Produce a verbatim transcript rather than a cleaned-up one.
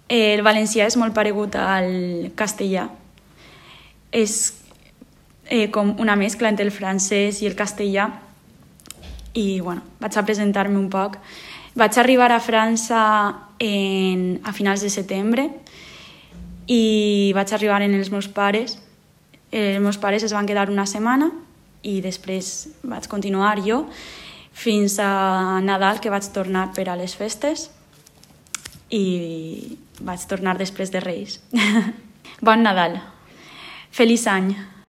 El valencià és molt paregut al castellà. És eh, com una mescla entre el francès i el castellà. I bueno, vaig a presentar-me un poc. Vaig arribar a França en, a finals de setembre i vaig arribar amb els meus pares. Els meus pares es van quedar una setmana i després vaig continuar jo fins a Nadal, que vaig tornar per a les festes i vaig tornar després de Reis. Bon Nadal. Feliç any.